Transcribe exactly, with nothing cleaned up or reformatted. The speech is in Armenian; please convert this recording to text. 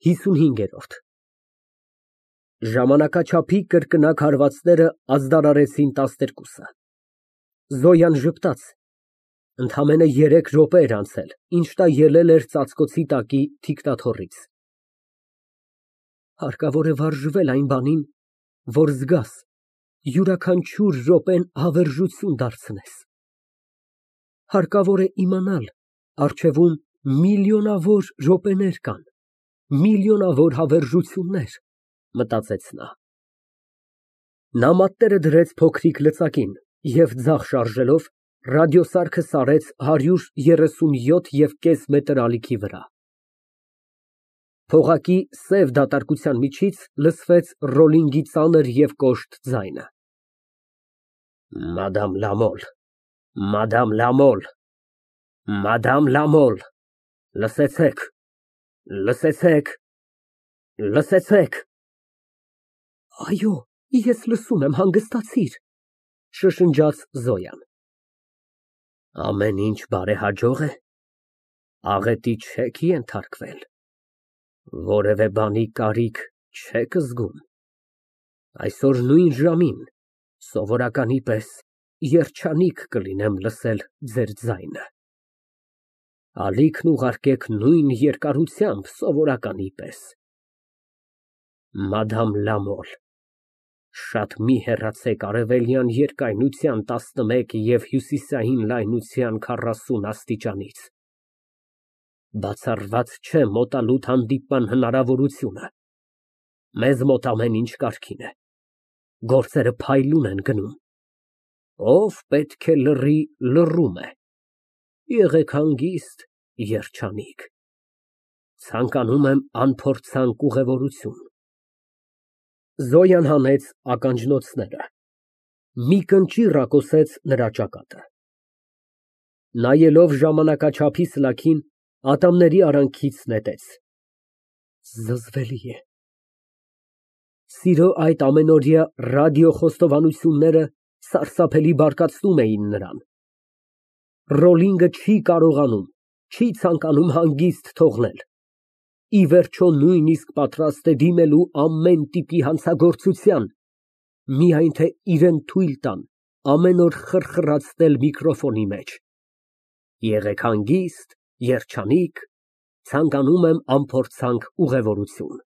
ՀԻսունհինգերորդ Ժամանակաչափի կրկնակ հարվածները ազդարարեցին տասներկուսը։ Զոյան ժպտաց, ընդամենը երեք րոպե էր անցել, ինչ նա ելել էր ծածկոցի տակի թիկնաթոռից։ Հարկավոր է վարժվել այն բանին, որ զգաս, յուրաքանչյուր րոպեն հավերժություն դարձնես։ Հարկավոր է իմանալ, առջևում միլիոնավոր րոպեներ կան, միլիոնավոր հավերժություններ, մտածեց նա։ Նա մատները դրեց փոքրիկ լծակին և ձախ շարժելով, ռադիոսարքը սարեց հարյուր երեսունյոթ և կես մետր ալիքի վրա։ Փողակի սև դատարկության միջից լսվեց ռոլինգի ծանր և կոշտ ձայնը։ Մադամ Լամոլ, Մադամ Լամոլ, Մադամ Լամոլ, լսեցե՞ք, լսեցե՞ք, լսեցե՞ք։ Այո, ես լսում եմ, հանգստացիր, շշնջաց Զոյան։ Ամեն ինչ բարեհաջող է, աղետի չեք ենթարկվել, որևէ բանի կարիք չեք զգում։ Այսօր նույն ժամին սովորականի պես երջանիկ կլինեմ լսել ձեր ձայնը։ Ալիքն ուղարկեք նույն երկարությամբ սովորականի պես։ Մադամ Լամոլ, շատ մի հեռացեք արևելյան երկայնության տասնմեկ և հյուսիսային լայնության քառասուն աստիճանից։ Բացառված չէ մոտալուտ հանդիպման հնարավորությունը։ Մեզ մոտ ամեն ինչ կարգին է, գործերը փայլուն են գնում։ Ով պետք է լռի, լռում է։ Եղեք հանգիստ, երջանիկ։ Ցանկանում եմ անփորձանք ուղևորություն։ Զոյան հանեց ականջնոցները, մի կնճիռ ռակոսեց նրա ճակատը։ Նայելով ժամանակաչափի սլաքին, ատամների արանքից նետեց։ Զզվելի է։ Սիրո այդ ամենօրյա ռադիոխոստովանությունները սարսափելի բարկացնում էին նրան։ Ռոլինգը չի կարողանում, չի ցանկանում հանգիստ թողնել։ Ի վերջո, նույնիսկ պատրաստ է դիմելու ամեն տիպի հանցագործության, միայն թե իրան թույլ տան ամեն օր խրխրացնել միկրոֆոնի մեջ։ Եղեք հանգիստ, երջանիկ, ցանկանում եմ անփորձանք ուղևորություն։